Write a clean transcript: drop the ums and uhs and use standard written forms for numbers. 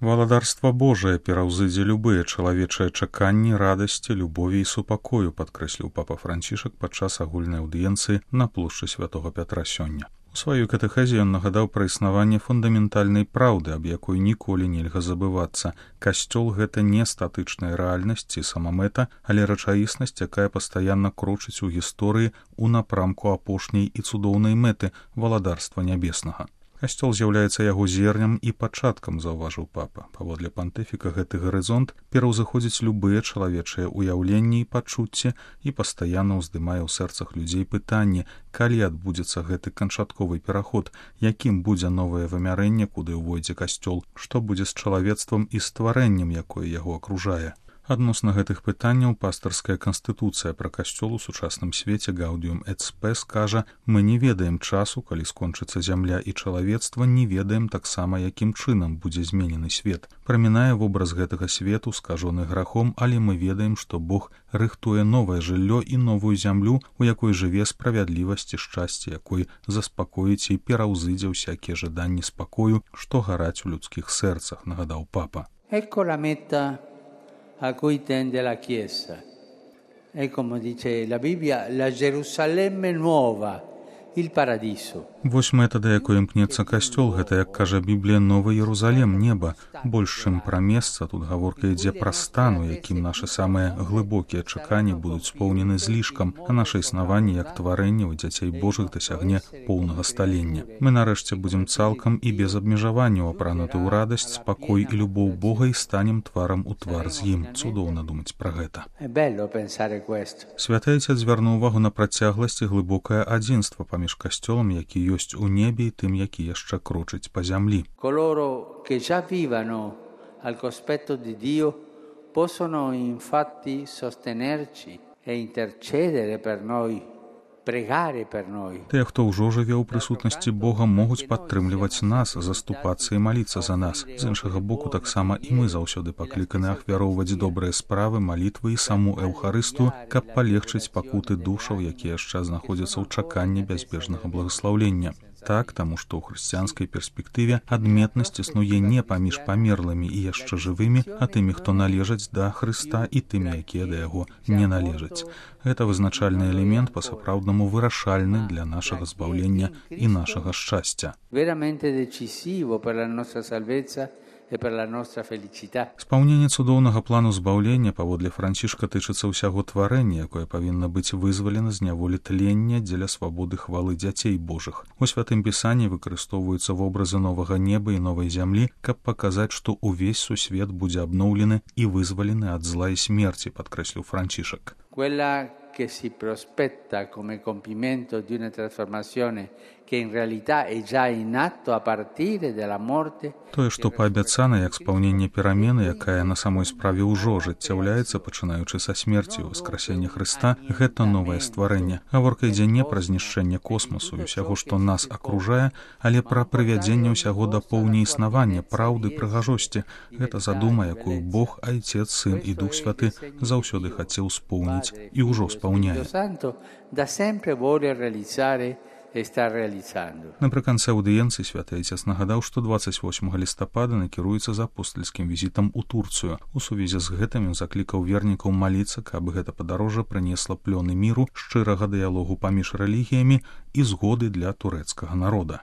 Валадарства Божае пераўзыдзе любыя чалавечыя чаканні, радасці, любові і супакою, падкрэсліў папа Францішак падчас агульнай аўдыенцыі на плошчы святога Пятра сёння. У сваёй катэхезе ён нагадаў пра існаванне фундаментальнай праўды, аб якой ніколі нельга забывацца. Касцёл — гэта не статычная рэальнасць ці самамэта, але рэчаіснасць, якая пастаянна крочыць у гісторыі ў напрамку апошняй і цудоўнай мэты валадарства нябеснага. Касцёл з'яўляецца яго зернем і пачаткам, заўважыў папа. Паводле пантыфіка гэты гарызонт пераўзыходзіць любыя чалавечыя ўяўленні і пачуцці і пастаянна ўздымае ў сэрцах людзей пытанне, калі адбудзецца гэты канчатковы пераход, якім будзе новае вымярэнне, куды ўвойдзе касцёл, што будзе з чалавецтвам і стварэннем, якое яго акружае. Адносна гэтых пытанняў пастарская канстытуцыя пра касцёл у сучасным свеце Gaudium et Spes кажа: «Мы не ведаем часу, калі скончыцца зямля і чалавецтва, не ведаем таксама, якім чынам будзе зменены свет. Прамінае вобраз гэтага свету, скажоны грахом, але мы ведаем, што Бог рыхтуе новае жыллё і новую зямлю, у якой жыве справядлівасць і шчасце, якой заспакоіць і пераўзыдзе ўсякія жаданні спакою, што гараць у людскіх сэрцах», нагадаў папа. Ecco la meta a cui tende la Chiesa. È come dice la Bibbia, la Gerusalemme nuova, il paradiso. Вось мэта, да якой імкнецца касцёл, гэта, як кажа Біблія, новы Єрусалем, неба. Больш чым пра месца, тут гаворка ідзе пра стан, у якім нашы самыя глыбокія чаканні будуць споўнены злішкам, а наша існаванне як тварэнне ў дзяцей Божых дасягне поўнага сталення. Мы нарэшце будзем цалкам і без абмежаванняў апрануты ў радасць, спакой і любоў Бога і станем тварам у твар з ім. Цудоўна думаць пра гэта. Святы Айцец звярнуў увагу на працягласць і глыбокае адзінства паміж касцёлам, які ёсць у небе, і тым, які яшчэ крочыць па зямлі. Coloro che già vivano al cospetto di Dio possono infatti sostenerci e intercedere per noi, pregare per noi. Тыя, хто ўжо жыве ў прысутнасці Бога, могуць падтрымліваць нас, заступацца і маліцца за нас. З іншага боку, таксама і мы заўсёды пакліканы ахвяроўваць добрыя справы, малітвы і саму Эўхарысту, каб палегчыць пакуты душаў, якія яшчэ знаходзяцца ў чаканні бязбежнага благаслаўлення. Так, таму што ў хрысціянскай перспектыве адметнасць існуе не паміж памерлымі і яшчэ жывымі, а тымі, хто належаць да Хрыста, і тымі, якія да яго не належаць. Гэта вызначальны элемент, па-сапраўднаму вырашальны для нашага збаўлення і нашага шчасця. Veramente decisivo per la nostra salvezza e per la nostra felicità. Спаўненне цудоўнага плану збаўлення паводле Францішка тычыцца ўсяго тварэння, якое павінна быць вызвалена з няволі тлення дзеля свабоды хвалы дзяцей Божых. У святым пісанні выкарыстоўваюцца вобразы новага неба і новай зямлі, каб паказаць, што ўвесь сусвет будзе абноўлены і вызвалены ад зла і смерці, падкрэсліў Францішак. Quella che si prospetta come compimento di una trasformazione che in realtà è già in atto a partire dalla morte. Тое, што паабяцана як спаўненне перамены, якая на самой справе ўжо ажыццяўляецца, пачынаючы са смерці ў воскресення Хрыста, гэта новае стварэнне. Гаворка ідзе не пра знішчэнне космосу і ўсяго, што нас акружае, але пра прывядзенне ўсяго да поўня існавання, праўды, прыгажосці. Гэта задума, якую Бог, Айцец, Сын і Дух Святы заўсёды хацеў споўніць і ўжо спаўняе. Напрыканцы аўдыенцыі святы Айцец нагадаў, што 28 лістапада накіруецца з апостальскім візітам у Турцыю. У сувязі з гэтым ён заклікаў вернікаў маліцца, каб гэта падарожжа прынесла плёны міру, шчырага дыялогу паміж рэлігіямі і згоды для турэцкага народа.